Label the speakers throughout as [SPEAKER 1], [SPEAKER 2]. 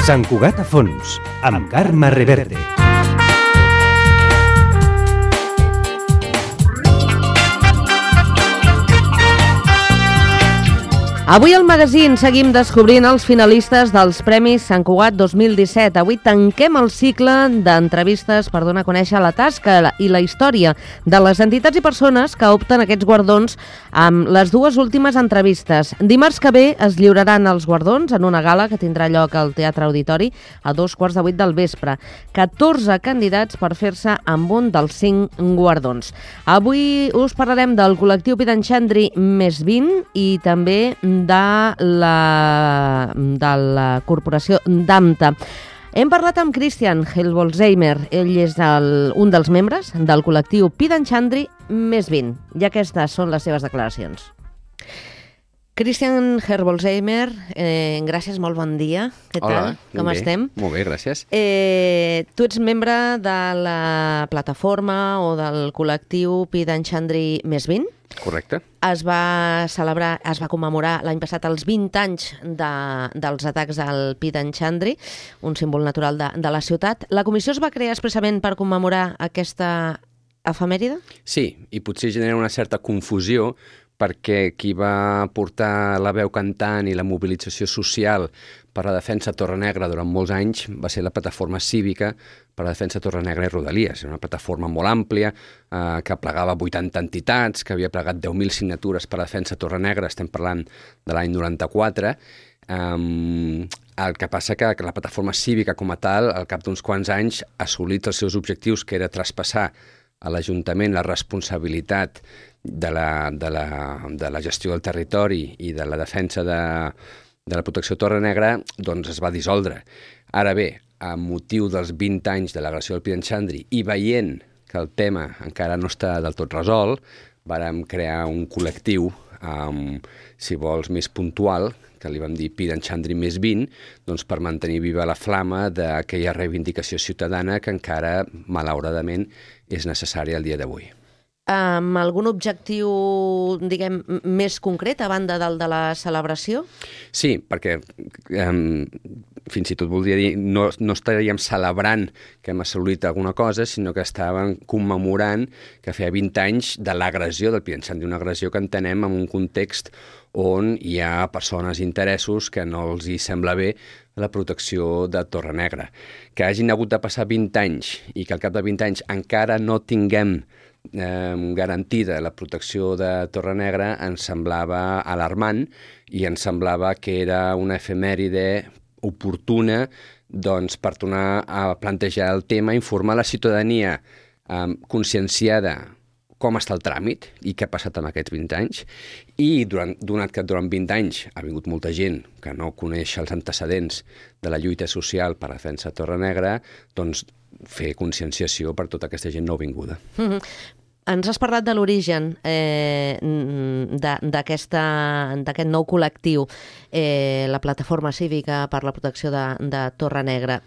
[SPEAKER 1] Sant Cugat a fons, amb Carme Reverte.
[SPEAKER 2] Avui al magazín seguim descobrint els finalistes dels Premis Sant Cugat 2017. Avui tanquem el cicle d'entrevistes per donar a conèixer la tasca i la història de les entitats i persones que opten aquests guardons amb les dues últimes entrevistes. Dimarts que ve es lliuraran els guardons en una gala que tindrà lloc al Teatre Auditori a 7:15 del vespre. 14 candidats per fer-se amb un dels 5 guardons. Avui us parlarem del col·lectiu Pidanxandri més 20 i també de la corporació d'AMTA. Hem parlat amb Christian Helbolzheimer. Ell és un dels membres del col·lectiu Pidanxandri més 20. I aquestes són les seves declaracions. Christian Helbolzheimer, gràcies, molt bon dia. Què tal?
[SPEAKER 3] Hola,
[SPEAKER 2] com estem?
[SPEAKER 3] Molt bé, gràcies.
[SPEAKER 2] Tu ets membre de la plataforma o del col·lectiu Pidanxandri més 20?
[SPEAKER 3] Correcte.
[SPEAKER 2] Es va commemorar l'any passat els 20 anys dels atacs al Pidanxandri, un símbol natural de la ciutat. La comissió es va crear expressament per commemorar aquesta efemèride?
[SPEAKER 3] Sí, i potser genera una certa confusió perquè qui va portar la veu cantant i la mobilització social per la defensa de Torrenegra durant molts anys va ser la plataforma cívica per la defensa de Torrenegra i Rodalies. Era una plataforma molt àmplia que plegava 80 entitats, que havia plegat 10.000 signatures per la defensa de Torrenegra, estem parlant de l'any 94. El que passa que la plataforma cívica com a tal, al cap d'uns quants anys, ha assolit els seus objectius, que era traspassar a l'Ajuntament la responsabilitat de la gestió del territori i de la defensa de la protecció de Torrenegra, doncs es va dissoldre. Ara bé, a motiu dels 20 anys de l'agressió del Pidanxandri i veient que el tema encara no està del tot resolt, vàrem crear un col·lectiu, si vols, més puntual, que li vam dir Pidanxandri més 20, doncs per mantenir viva la flama d'aquella reivindicació ciutadana que encara, malauradament, és necessària al dia d'avui.
[SPEAKER 2] Amb algun objectiu, diguem, més concret a banda del de la celebració?
[SPEAKER 3] Sí, perquè fins i tot voldria dir, no estaríem celebrant que hem assolit alguna cosa, sinó que estàvem commemorant que feia 20 anys de l'agressió del Pidanxandri, una agressió que entenem en un context on hi ha persones i interessos que no els hi sembla bé la protecció de Torrenegra. Que hagin hagut de passar 20 anys i que al cap de 20 anys encara no tinguem garantida la protecció de Torrenegra ens semblava alarmant i ens semblava que era una efemèride oportuna doncs, per tornar a plantejar el tema, informar la ciutadania conscienciada com està el tràmit i què ha passat amb aquests 20 anys i donat que durant 20 anys ha vingut molta gent que no coneix els antecedents de la lluita social per la defensa de Torrenegra, doncs fer conscienciació per tota aquesta gent nouvinguda.
[SPEAKER 2] Ens has parlat de l'origen d'aquest nou col·lectiu, la Plataforma Cívica per la Protecció de Torrenegra.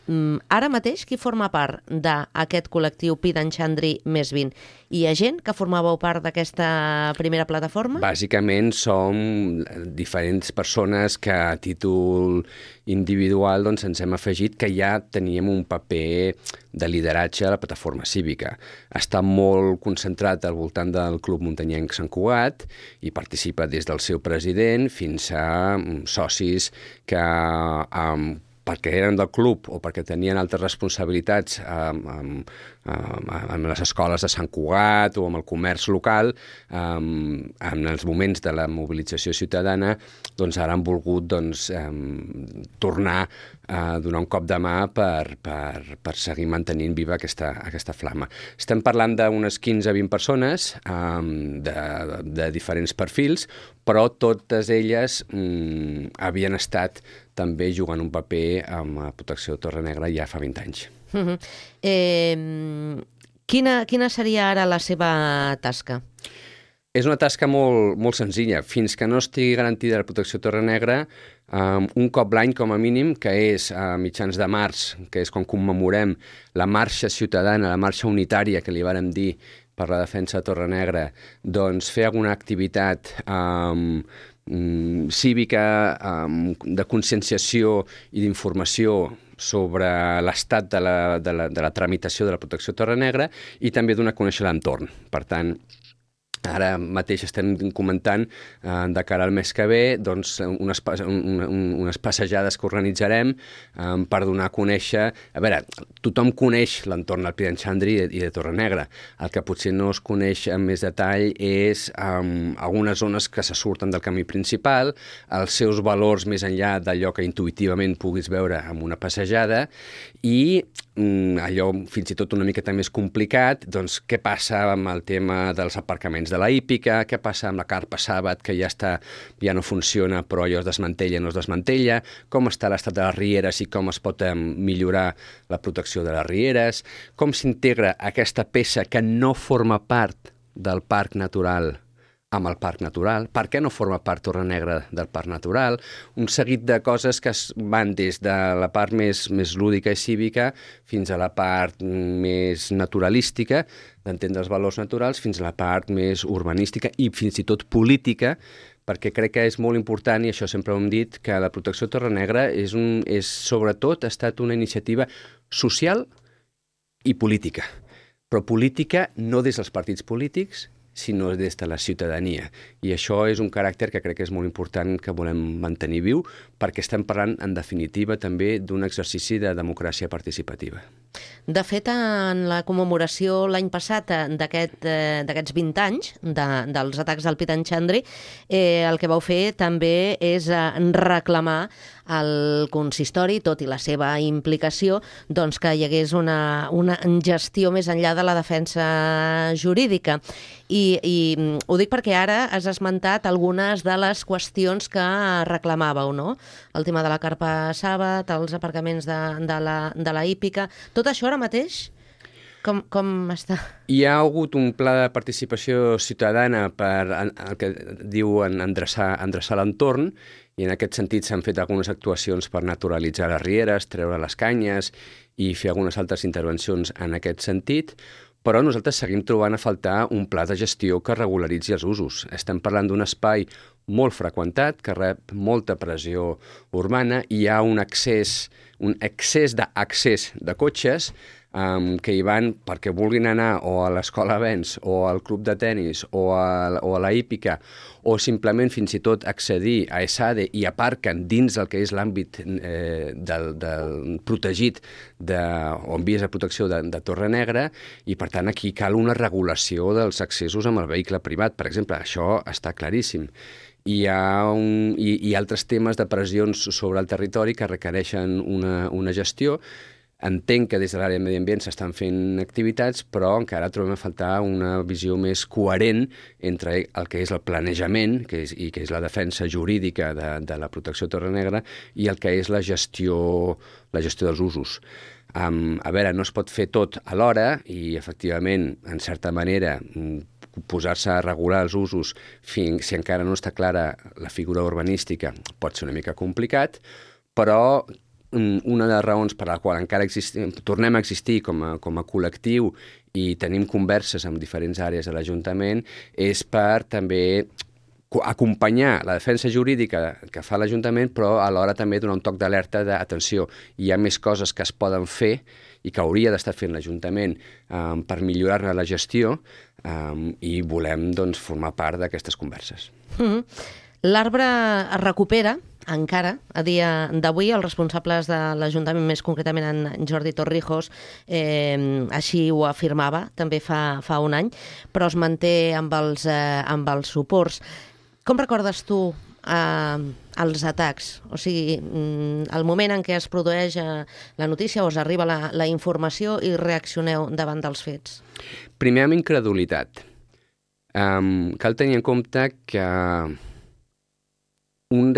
[SPEAKER 2] Ara mateix, qui forma part d'aquest col·lectiu Pidanxandri més 20? Hi ha gent que formàveu part d'aquesta primera plataforma?
[SPEAKER 3] Bàsicament som diferents persones que a títol individual doncs, ens hem afegit que ja teníem un paper de lideratge a la plataforma cívica. Està molt concentrat al voltant del Club Muntanyenc Sant Cugat i participa des del seu president fins a socis que perquè eren del club o perquè tenien altres responsabilitats amb les escoles de Sant Cugat o amb el comerç local, en els moments de la mobilització ciutadana, doncs ara han volgut tornar a donar un cop de mà per seguir mantenint viva aquesta flama. Estem parlant d'unes 15-20 persones de diferents perfils, però totes elles havien estat també jugant un paper amb la protecció de Torrenegra ja fa 20 anys.
[SPEAKER 2] Quina seria ara la seva tasca?
[SPEAKER 3] És una tasca molt senzilla. Fins que no estigui garantida la protecció Torre Negra, un cop l'any com a mínim, que és a mitjans de març, que és quan commemorem la marxa ciutadana, la marxa unitària que li vàrem dir per la defensa de Torre Negra, doncs fer alguna activitat cívica, de conscienciació i d'informació sobre l'estat de la tramitació de la protecció Torre Negra i també donar a conèixer l'entorn. Per tant, ara mateix estem comentant de cara al mes que ve doncs, unes passejades que organitzarem per donar a conèixer... A veure, tothom coneix l'entorn del Pirineu Xandri i de Torre Negra. El que potser no es coneix en més detall és algunes zones que se surten del camí principal, els seus valors més enllà d'allò que intuïtivament puguis veure amb una passejada i allò fins i tot una miqueta més complicat, doncs què passa amb el tema dels aparcaments de la hípica, què passa amb la carpa Sàbat, que ja no funciona però allò es desmantella o no es desmantella, com està l'estat de les rieres i com es pot millorar la protecció de les rieres, com s'integra aquesta peça que no forma part del parc natural amb el parc natural, per què no forma part Torre Negra del parc natural, un seguit de coses que van des de la part més lúdica i cívica fins a la part més naturalística, d'entendre els valors naturals, fins a la part més urbanística i fins i tot política, perquè crec que és molt important, i això sempre ho hem dit, que la protecció Torre Negra sobretot ha estat una iniciativa social i política, però política no des dels partits polítics, sinó des de la ciutadania. I això és un caràcter que crec que és molt important que volem mantenir viu, perquè estem parlant, en definitiva, també d'un exercici de democràcia participativa.
[SPEAKER 2] De fet, en la commemoració l'any passat d'aquests 20 anys dels atacs del Pirineu Xandri, el que vau fer també és reclamar al consistori, tot i la seva implicació, doncs que hi hagués una gestió més enllà de la defensa jurídica. I ho dic perquè ara has esmentat algunes de les qüestions que reclamàveu, no? El tema de la carpa Sàbat, els aparcaments de la hípica... Tot això ara mateix, com està?
[SPEAKER 3] Hi ha hagut un pla de participació ciutadana per el que diuen endreçar l'entorn, i en aquest sentit s'han fet algunes actuacions per naturalitzar les rieres, treure les canyes i fer algunes altres intervencions en aquest sentit, però nosaltres seguim trobant a faltar un pla de gestió que regularitzi els usos. Estem parlant d'un espai molt freqüentat, que rep molta pressió urbana, i hi ha un excés d'accés de cotxes que hi van perquè vulguin anar o a l'escola Benz o al club de tennis o a la hípica o simplement fins i tot accedir a ESADE i aparquen dins el que és l'àmbit del protegit o en vies de protecció de Torre Negra, i per tant aquí cal una regulació dels accessos amb el vehicle privat. Per exemple, això està claríssim. Hi ha altres temes de pressions sobre el territori que requereixen una gestió. Entenc que des de l'àrea de medi ambient s'estan fent activitats, però encara trobem a faltar una visió més coherent entre el que és el planejament que és la defensa jurídica de la protecció Torre Negra i el que és la gestió dels usos. A veure, no es pot fer tot alhora i, efectivament, en certa manera, posar-se a regular els usos si encara no està clara la figura urbanística pot ser una mica complicat, però una de les raons per la qual encara tornem a existir com a col·lectiu i tenim converses amb diferents àrees de l'Ajuntament és per també acompanyar la defensa jurídica que fa l'Ajuntament, però alhora també donar un toc d'alerta d'atenció. Hi ha més coses que es poden fer i que hauria d'estar fent l'Ajuntament per millorar-ne la gestió i volem formar part d'aquestes converses.
[SPEAKER 2] L'arbre es recupera encara, a dia d'avui, els responsables de l'Ajuntament, més concretament en Jordi Torrijos, així ho afirmava també fa un any, però es manté amb els suports. Com recordes tu els atacs? O sigui, el moment en què es produeix la notícia o us arriba la informació i reaccioneu davant dels fets?
[SPEAKER 3] Primer amb incredulitat. Cal tenir en compte que em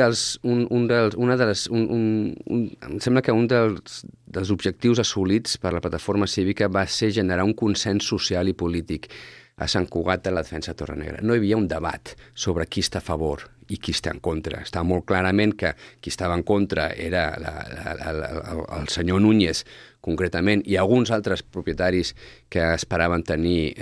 [SPEAKER 3] sembla que un dels objectius assolits per la plataforma cívica va ser generar un consens social i polític. a Sant Cugat a la defensa de Torrenegra. No hi havia un debat sobre qui està a favor i qui està en contra. Estava molt clarament que qui estava en contra era el senyor Núñez, concretament, i alguns altres propietaris que esperaven tenir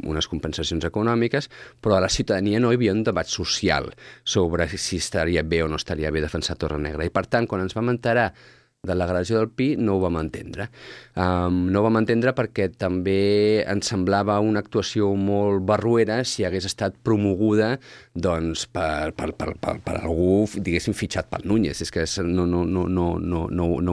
[SPEAKER 3] unes compensacions econòmiques, però a la ciutadania no hi havia un debat social sobre si estaria bé o no estaria bé defensar Torrenegra. I per tant, quan ens vam enterar de l'agressió del Pi, no ho vam entendre. No ho vam entendre perquè també ens semblava una actuació molt barruera si hagués estat promoguda doncs, per algú, diguéssim, fitxat pel Núñez. És que no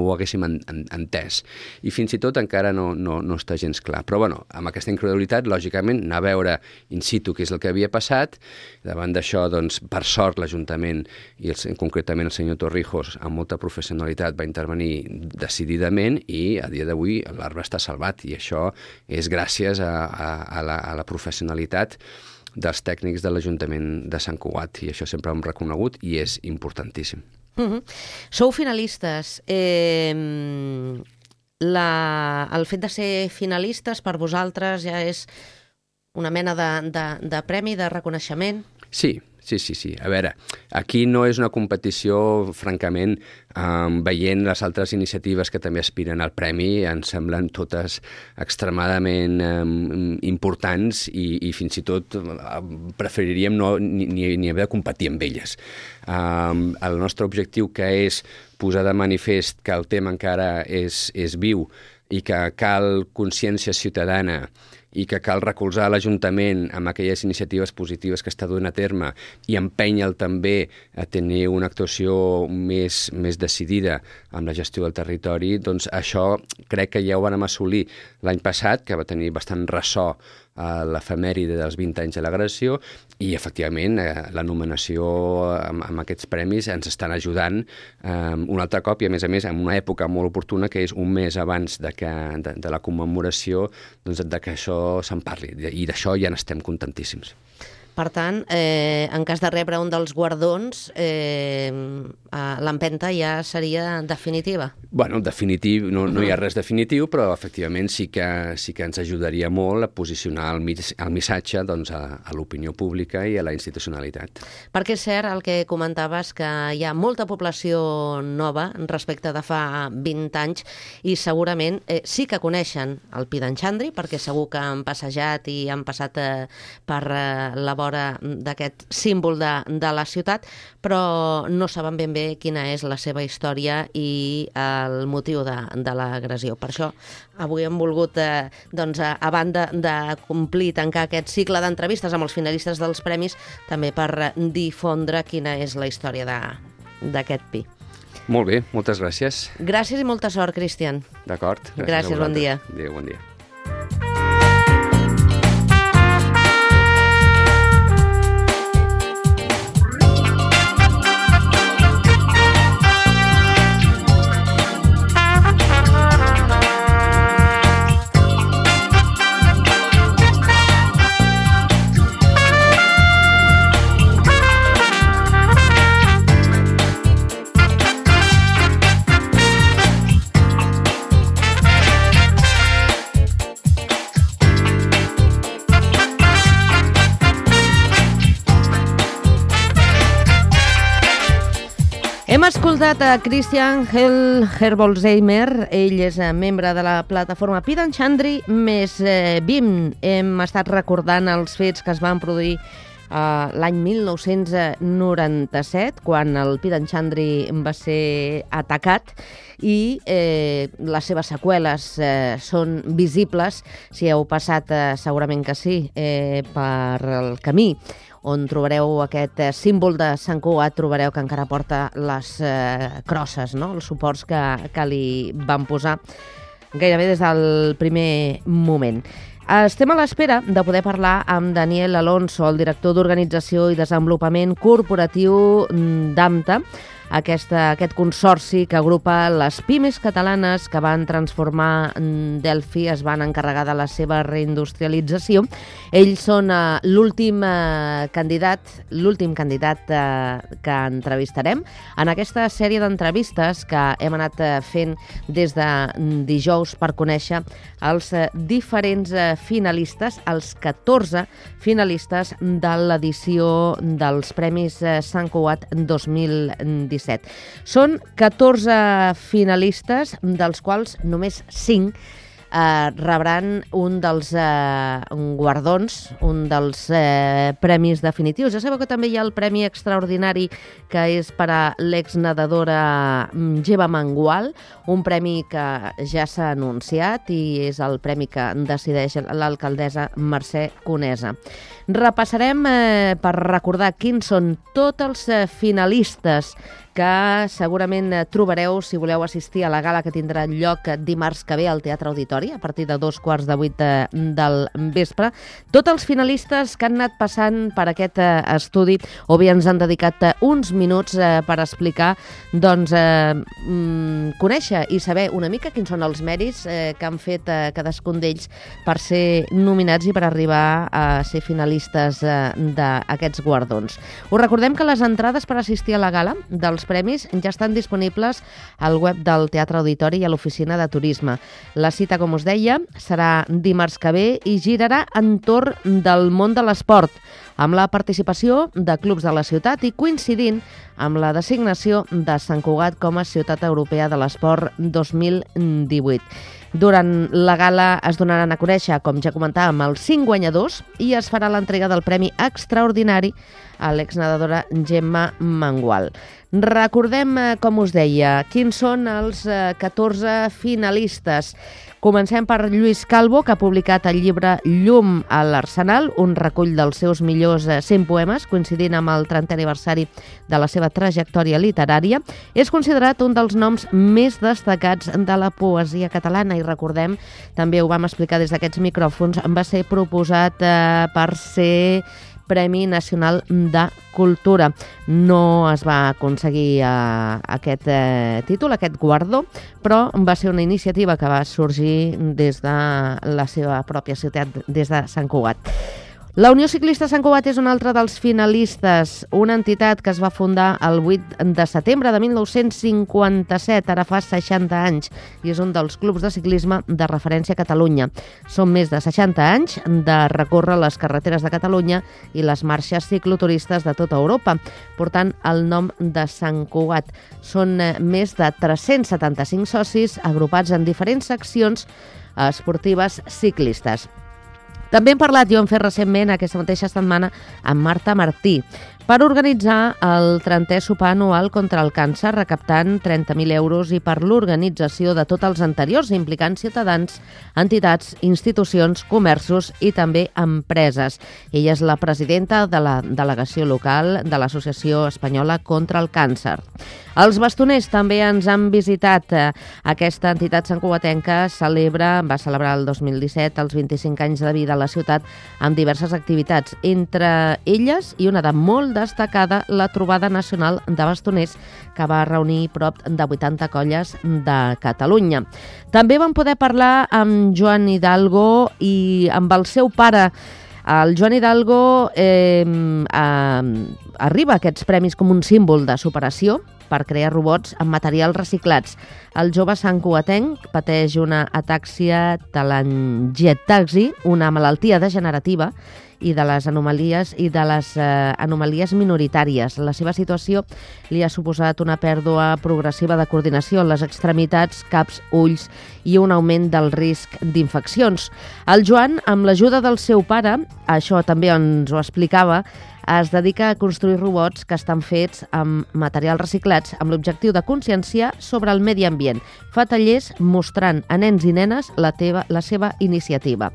[SPEAKER 3] ho haguéssim entès. I fins i tot encara no està gens clar. Però, bueno, amb aquesta incredulitat, lògicament, anar a veure in situ què és el que havia passat. Davant d'això, doncs, per sort, l'Ajuntament, i concretament el senyor Torrijos, amb molta professionalitat, va intervenir decididament i a dia d'avui l'arbre està salvat i això és gràcies a la professionalitat dels tècnics de l'Ajuntament de Sant Cugat i això sempre ho hem reconegut i és importantíssim.
[SPEAKER 2] Sou finalistes. El fet de ser finalistes per vosaltres ja és una mena de premi, de reconeixement?
[SPEAKER 3] Sí. A veure, aquí no és una competició, francament, veient les altres iniciatives que també aspiren al premi, ens semblen totes extremadament importants i fins i tot preferiríem ni haver de competir amb elles. El nostre objectiu, que és posar de manifest que el tema encara és viu i que cal consciència ciutadana i que cal recolzar l'Ajuntament amb aquelles iniciatives positives que està duent a terme i empenya'l també a tenir una actuació més decidida amb la gestió del territori, doncs això crec que ja ho vam assolir l'any passat, que va tenir bastant ressò a l'efemèride dels 20 anys de l'agressió i, efectivament, la nominació amb aquests premis ens estan ajudant un altre cop i, a més, en una època molt oportuna, que és un mes abans de la commemoració, doncs, de que això se'n parli. I d'això ja n'estem contentíssims.
[SPEAKER 2] Per tant, en cas de rebre un dels guardons, l'empenta ja seria definitiva?
[SPEAKER 3] Bueno, definitiu, no hi ha res definitiu, però efectivament sí que ens ajudaria molt a posicionar el missatge doncs, a l'opinió pública i a la institucionalitat.
[SPEAKER 2] Perquè és cert el que comentaves, que hi ha molta població nova respecte de fa 20 anys i segurament sí que coneixen el Pi d'en Xandri, perquè segur que han passejat i han passat per la vora d'aquest símbol de la ciutat, però no saben ben bé quina és la seva història i el motiu de l'agressió. Per això avui hem volgut, a banda de complir, tancar aquest cicle d'entrevistes amb els finalistes dels premis, també per difondre quina és la història d'aquest Pi.
[SPEAKER 3] Molt bé, moltes gràcies.
[SPEAKER 2] Gràcies i molta sort, Cristian.
[SPEAKER 3] D'acord.
[SPEAKER 2] Gràcies, bon dia.
[SPEAKER 3] Adéu, bon dia.
[SPEAKER 2] Hem escoltat a Christian Herbolzheimer, ell és membre de la plataforma Pi d'en Xandri més BIM. Hem estat recordant els fets que es van produir l'any 1997, quan el Pi d'en Xandri va ser atacat, i les seves seqüeles són visibles. Si heu passat, segurament que sí, per el camí on trobareu aquest símbol de Sant Cugat, trobareu que encara porta les crosses, no? Els suports que li van posar gairebé des del primer moment. Estem a l'espera de poder parlar amb Daniel Alonso, el director d'Organització i Desenvolupament Corporatiu d'AMTA, aquest consorci que agrupa les pimes catalanes que van transformar Delphi, es van encarregar de la seva reindustrialització. Ells són l'últim candidat que entrevistarem en aquesta sèrie d'entrevistes que hem anat fent des de dijous per conèixer els diferents finalistes, els 14 finalistes de l'edició dels Premis Sant Cugat 2017. Són 14 finalistes, dels quals només 5 rebran un dels guardons, un dels premis definitius. Ja sabeu que també hi ha el Premi Extraordinari, que és per a l'exnedadora Gemma Mengual, un premi que ja s'ha anunciat i és el premi que decideix l'alcaldessa Mercè Conesa. Repassarem per recordar quins són tots els finalistes que segurament trobareu si voleu assistir a la gala que tindrà lloc dimarts que ve al Teatre Auditori a partir de 7:15 del vespre. Tots els finalistes que han anat passant per aquest estudi o bé ens han dedicat uns minuts per explicar, doncs, conèixer i saber una mica quins són els mèrits que han fet cadascun d'ells per ser nominats i per arribar a ser finalistes d'aquests guardons. Us recordem que les entrades per assistir a la gala dels premis ja estan disponibles al web del Teatre Auditori i a l'oficina de turisme. La cita, com us deia, serà dimarts que ve i girarà entorn del món de l'esport, amb la participació de clubs de la ciutat i coincidint amb la designació de Sant Cugat com a Ciutat Europea de l'Esport 2018. Durant la gala es donaran a conèixer, com ja comentàvem, els 5 guanyadors i es farà l'entrega del Premi Extraordinari a l'exnedadora Gemma Mengual. Recordem, com us deia, quins són els 14 finalistes. Comencem per Lluís Calvo, que ha publicat el llibre Llum a l'Arsenal, un recull dels seus millors 100 poemes, coincidint amb el 30è aniversari de la seva trajectòria literària. És considerat un dels noms més destacats de la poesia catalana i recordem, també ho vam explicar des d'aquests micròfons, va ser proposat per ser Premi Nacional de Cultura. No es va aconseguir aquest títol, aquest guardó, però va ser una iniciativa que va sorgir des de la seva pròpia ciutat, des de Sant Cugat. La Unió Ciclista Sant Cugat és un altre dels finalistes, una entitat que es va fundar el 8 de setembre de 1957, ara fa 60 anys, i és un dels clubs de ciclisme de referència a Catalunya. Són més de 60 anys de recórrer les carreteres de Catalunya i les marxes cicloturistes de tota Europa, portant el nom de Sant Cugat. Són més de 375 socis agrupats en diferents seccions esportives ciclistes. També hem parlat i ho hem fet recentment aquesta mateixa setmana amb Marta Martí per organitzar el 30è sopar anual contra el càncer, recaptant 30.000 euros i per l'organització de tots els anteriors, implicant ciutadans, entitats, institucions, comerços i també empreses. Ella és la presidenta de la delegació local de l'Associació Espanyola contra el Càncer. Els bastoners també ens han visitat. Aquesta entitat santcugatenca va celebrar el 2017 els 25 anys de vida a la ciutat amb diverses activitats, entre elles i una de molt destacada, la trobada nacional de bastoners que va reunir prop de 80 colles de Catalunya. També vam poder parlar amb Joan Hidalgo i amb el seu pare. El Joan Hidalgo arriba a aquests premis com un símbol de superació per crear robots amb materials reciclats. El jove santcugatenc pateix una atàxia telangiectasi, una malaltia degenerativa i de les anomalies minoritàries. La seva situació li ha suposat una pèrdua progressiva de coordinació en les extremitats, caps, ulls i un augment del risc d'infeccions. El Joan, amb l'ajuda del seu pare, això també ens ho explicava, es dedica a construir robots que estan fets amb materials reciclats amb l'objectiu de conscienciar sobre el medi ambient. Fa tallers mostrant a nens i nenes la seva iniciativa.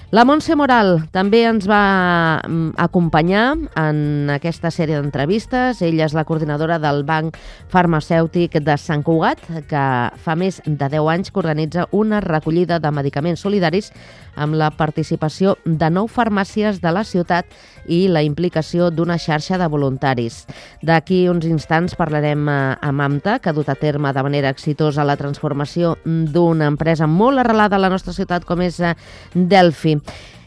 [SPEAKER 2] La Montse Moral també ens va acompanyar en aquesta sèrie d'entrevistes. Ella és la coordinadora del Banc Farmacèutic de Sant Cugat, que fa més de 10 anys que organitza una recollida de medicaments solidaris amb la participació de 9 farmàcies de la ciutat i la implicació d'una xarxa de voluntaris. D'aquí uns instants parlarem amb AMTA, que ha dut a terme de manera exitosa la transformació d'una empresa molt arrelada a la nostra ciutat com és Delphi.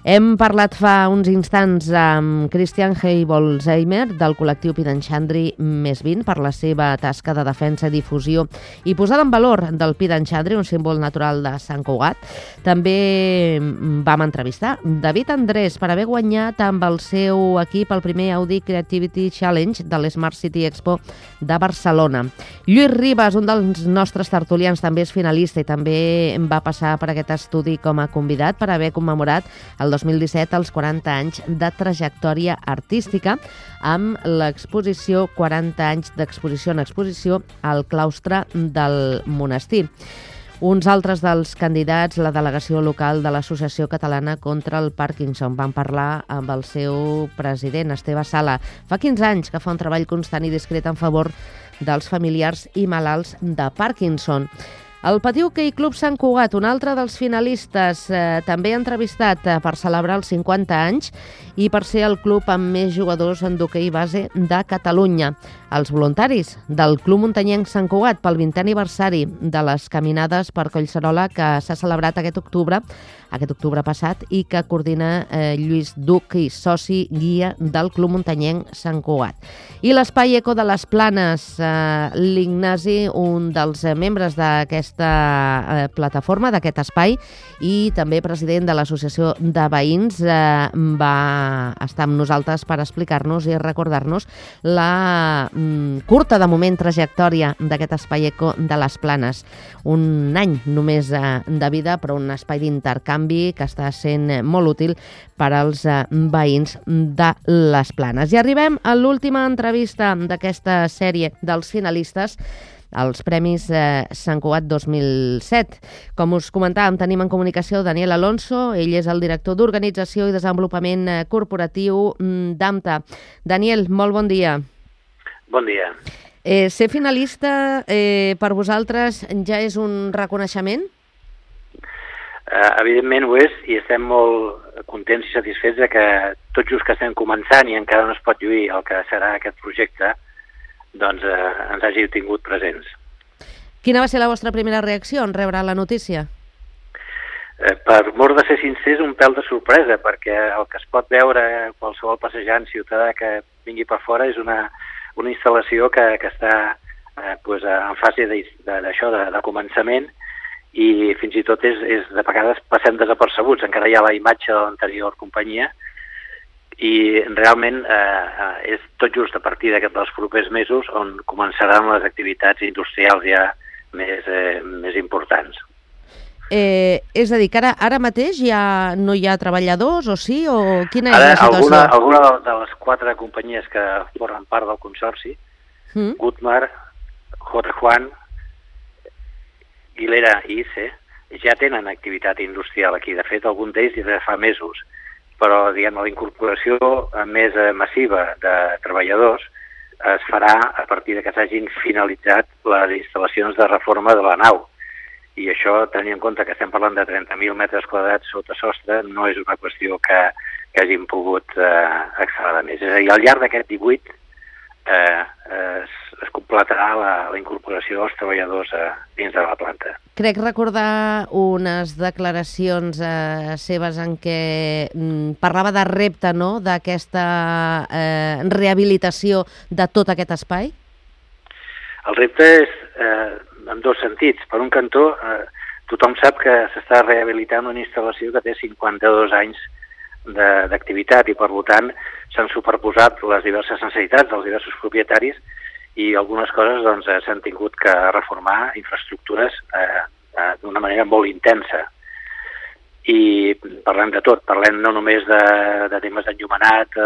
[SPEAKER 2] Hem parlat fa uns instants amb Christian Heibolzheimer del col·lectiu Pidanxandri Més 20 per la seva tasca de defensa, difusió i posada en valor del Pidanxandri, un símbol natural de Sant Cugat. També vam entrevistar David Andrés per haver guanyat amb el seu equip el primer Audi Creativity Challenge de l'Smart City Expo de Barcelona. Lluís Ribas, un dels nostres tertulians, també és finalista i també va passar per aquest estudi com a convidat per haver commemorat el 2017 els 40 anys de trajectòria artística amb l'exposició 40 anys d'exposició en exposició al claustre del monestir. Uns altres dels candidats, la delegació local de l'Associació Catalana contra el Parkinson. Van parlar amb el seu president, Esteve Sala. Fa 15 anys que fa un treball constant i discret en favor dels familiars i malalts de Parkinson. El Patí Hoquei Club Sant Cugat, un altre dels finalistes, també entrevistat per celebrar els 50 anys i per ser el club amb més jugadors en d'hoquei base de Catalunya. Els voluntaris del Club Muntanyenc Sant Cugat pel 20è aniversari de les caminades per Collserola que s'ha celebrat aquest octubre passat i que coordina Lluís Duc i soci guia del Club Muntanyenc Sant Cugat. I l'Espai Eco de les Planes, l'Ignasi, un dels membres d'aquesta plataforma, d'aquest espai, i també president de l'Associació de Veïns, va estar amb nosaltres per explicar-nos i recordar-nos la curta, de moment, trajectòria d'aquest Espai Eco de les Planes. Un any només de vida, però un espai d'intercanvi que està sent molt útil per als veïns de les Planes. I arribem a l'última entrevista d'aquesta sèrie dels finalistes als Premis Sant Cugat 2007. Com us comentàvem, tenim en comunicació Daniel Alonso, ell és el director d'Organització i Desenvolupament Corporatiu d'AMTA. Daniel, molt bon dia.
[SPEAKER 4] Bon dia.
[SPEAKER 2] Ser finalista per vosaltres ja és un reconeixement?
[SPEAKER 4] Evidentment ho és, i estem molt contents i satisfets de que tot just que estem començant i encara no es pot lluir el que serà aquest projecte, doncs ens hagi tingut presents.
[SPEAKER 2] Quina va ser la vostra primera reacció en rebre la notícia?
[SPEAKER 4] Per mort de ser sincers, un pèl de sorpresa, perquè el que es pot veure qualsevol passejant ciutadà que vingui per fora és una instal·lació que està en fase de començament, i fins i tot és de vegades passem desapercebuts, encara hi ha la imatge de l'anterior companyia, i realment és tot just a partir dels propers mesos on començaran les activitats industrials ja més importants.
[SPEAKER 2] És a dir, que ara mateix ja no hi ha treballadors, o sí? O quina és la situació?
[SPEAKER 4] Alguna de les 4 companyies que formen part del consorci, Gutmar, Juan, Guilera i ICE, ja tenen activitat industrial aquí. De fet, algun d'ells ja fa mesos. Però, la incorporació més massiva de treballadors es farà a partir de que s'hagin finalitzat les instal·lacions de reforma de la nau. I això, tenint en compte que estem parlant de 30.000 metres quadrats sota sostre, no és una qüestió que hagin pogut accelerar més. És a dir, al llarg d'aquest 18 es completarà la incorporació dels treballadors dins de la planta.
[SPEAKER 2] Crec recordar unes declaracions seves en què parlava de repte, no?, d'aquesta rehabilitació de tot aquest espai?
[SPEAKER 4] El repte és en dos sentits. Per un cantó, tothom sap que s'està rehabilitant una instal·lació que té 52 anys d'activitat i, per tant, s'han superposat les diverses necessitats dels diversos propietaris i algunes coses s'han tingut que reformar infraestructures d'una manera molt intensa. I parlem de tot, parlem no només de temes d'enllumenat,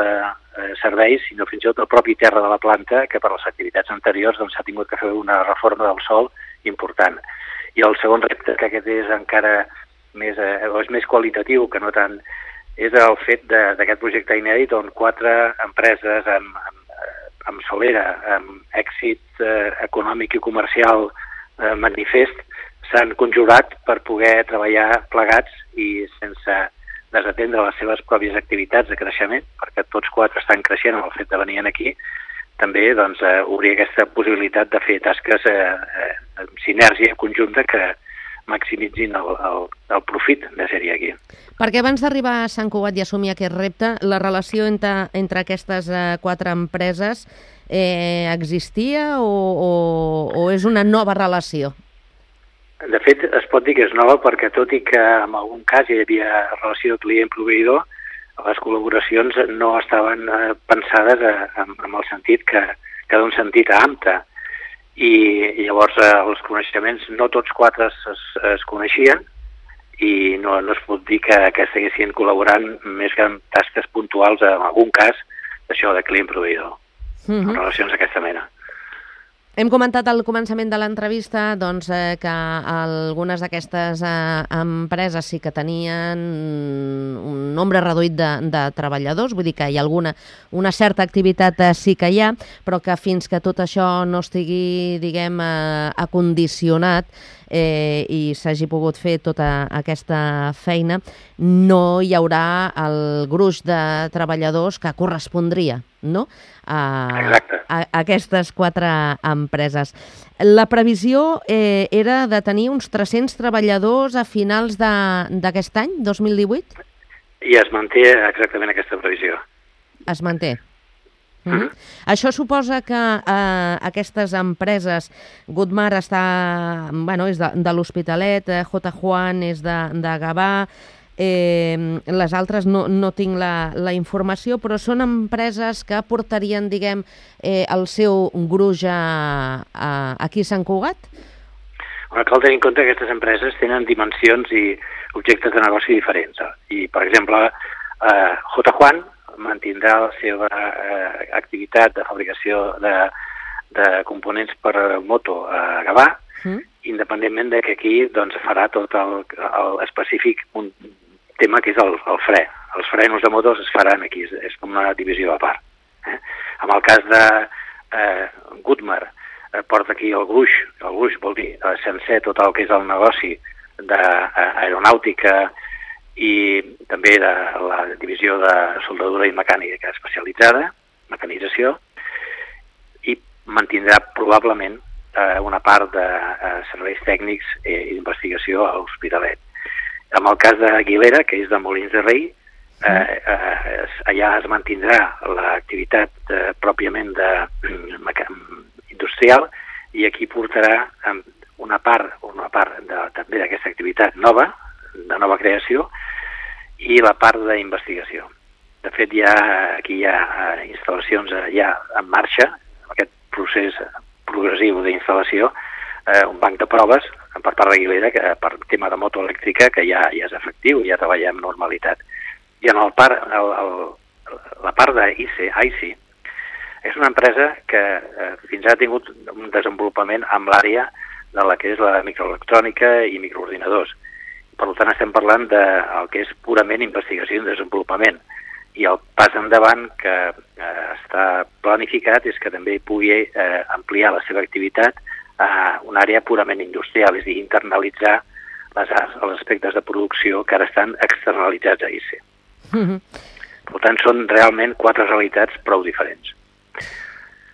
[SPEAKER 4] serveis, sinó fins i tot el propi terra de la planta, que per les activitats anteriors s'ha tingut que fer una reforma del sòl important. I el segon repte, que aquest és encara més qualitatiu, que no tant és el fet d'aquest projecte inèdit on 4 empreses amb solera, amb èxit econòmic i comercial manifest, s'han conjurat per poder treballar plegats i sense desatendre les seves pròpies activitats de creixement, perquè tots 4 estan creixent amb el fet de venir aquí, també doncs, obrir aquesta possibilitat de fer tasques en sinergia conjunta que maximitzin el profit de ser-hi aquí.
[SPEAKER 2] Perquè abans d'arribar a Sant Cugat i assumir aquest repte, la relació entre aquestes 4 empreses existia o és una nova relació?
[SPEAKER 4] De fet, es pot dir que és nova perquè tot i que en algun cas hi havia relació client-proveïdor, les col·laboracions no estaven pensades en el sentit que d'un sentit a AMTA. I llavors els coneixements, no tots 4 es coneixien i no es pot dir que estiguessin col·laborant més que en tasques puntuals, en algun cas, d'això de client-proveïdor, en relacions d'aquesta mena.
[SPEAKER 2] Hem comentat al començament de l'entrevista doncs, que algunes d'aquestes empreses sí que tenien un nombre reduït de treballadors, vull dir que hi ha una certa activitat sí que hi ha, però que fins que tot això no estigui, diguem, acondicionat i s'hagi pogut fer tota aquesta feina, no hi haurà el gruix de treballadors que correspondria, no?, a aquestes 4 empreses. La previsió era de tenir uns 300 treballadors a finals d'aquest any, 2018?
[SPEAKER 4] I es manté exactament aquesta previsió.
[SPEAKER 2] Es manté. Això suposa que aquestes empreses, Goodmar és de l'Hospitalet, J. Juan és de Gavà, les altres no tinc la informació, però són empreses que portarien, diguem, el seu gruix aquí a Sant Cugat?
[SPEAKER 4] Cal tenir en compte que aquestes empreses tenen dimensions i objectes de negoci diferents. I, per exemple, J. Juan mantindrà la seva activitat de fabricació de components per moto a Gavà, independentment de que aquí doncs, farà tot el específic un tema que és el fre. Els frenos de motos es faran aquí, és com una divisió a part. En el cas de Goodmar, porta aquí el gruix vol dir sencer tot el que és el negoci d'aeronàutica i també de la divisió de soldadura i mecànica especialitzada, mecanització, i mantindrà probablement una part de serveis tècnics i d'investigació a l'Hospitalet. En el cas d'Aguilera, que és de Molins de Rei, allà es mantindrà l'activitat pròpiament industrial i aquí portarà una part també d'aquesta activitat nova, de nova creació, i la part d'investigació. De fet, aquí hi ha instal·lacions ja en marxa, aquest procés progressiu d'instal·lació, un banc de proves per part d'Aguilera, que per tema de moto elèctrica, que ja és efectiu, ja treballa amb normalitat. I en la part d'IC, és una empresa que fins ara ha tingut un desenvolupament amb l'àrea de la que és la microelectrònica i microordinadors. Per tant, estem parlant del que és purament investigació i desenvolupament. I el pas endavant que està planificat és que també pugui ampliar la seva activitat a una àrea purament industrial, és a dir, internalitzar els aspectes de producció que ara estan externalitzats a IC. Per tant, són realment 4 realitats prou diferents.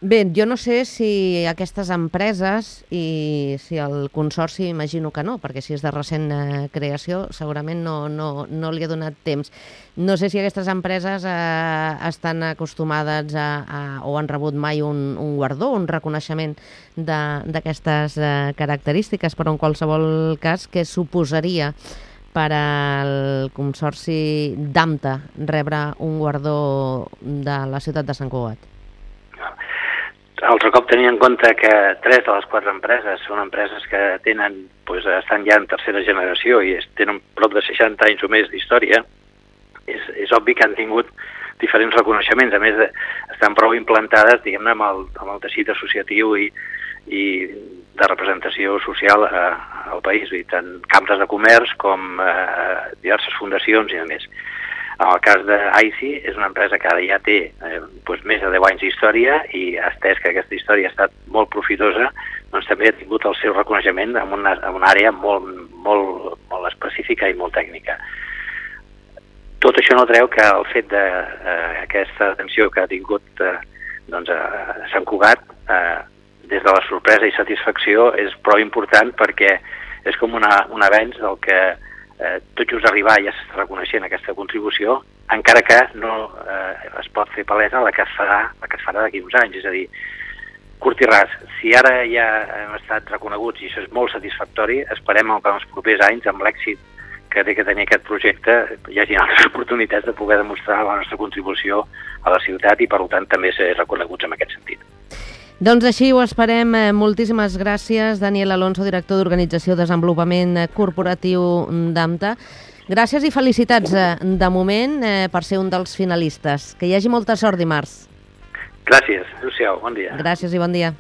[SPEAKER 2] Bé, jo no sé si aquestes empreses i si el Consorci, imagino que no, perquè si és de recent creació segurament no li ha donat temps. No sé si aquestes empreses estan acostumades o han rebut mai un guardó, un reconeixement d'aquestes característiques, però en qualsevol cas, què suposaria per al Consorci d'AMTA rebre un guardó de la ciutat de Sant Cugat?
[SPEAKER 4] Altre cop tenint en compte que 3 de les 4 empreses són empreses que estan ja en tercera generació i tenen prop de 60 anys o més d'història, és obvi que han tingut diferents reconeixements. A més, estan prou implantades, diguem-ne, amb el teixit associatiu i de representació social al país, tant cambres de comerç com diverses fundacions i a més. En el cas d'AICI, és una empresa que ara ja té més de 10 anys d'història i atès que aquesta història ha estat molt profitosa, doncs també ha tingut el seu reconeixement en una àrea molt específica i molt tècnica. Tot això no treu que el fet d'aquesta atenció que ha tingut a Sant Cugat, des de la sorpresa i satisfacció, és prou important perquè és com un avenç del que tot just arribar ja s'està reconeixent aquesta contribució, encara que no es pot fer palesa la que es farà d'aquí uns anys. És a dir, curt i ras, si ara ja hem estat reconeguts i això és molt satisfactori, esperem que en els propers anys, amb l'èxit que té que tenir aquest projecte, hi hagi altres oportunitats de poder demostrar la nostra contribució a la ciutat i, per tant, també ser reconeguts en aquest sentit.
[SPEAKER 2] Doncs així ho esperem. Moltíssimes gràcies, Daniel Alonso, director d'Organització de Desenvolupament Corporatiu d'AMTA. Gràcies i felicitats de moment per ser un dels finalistes. Que hi hagi molta sort dimarts.
[SPEAKER 4] Gràcies. Adéu-siau. Bon dia.
[SPEAKER 2] Gràcies i bon dia.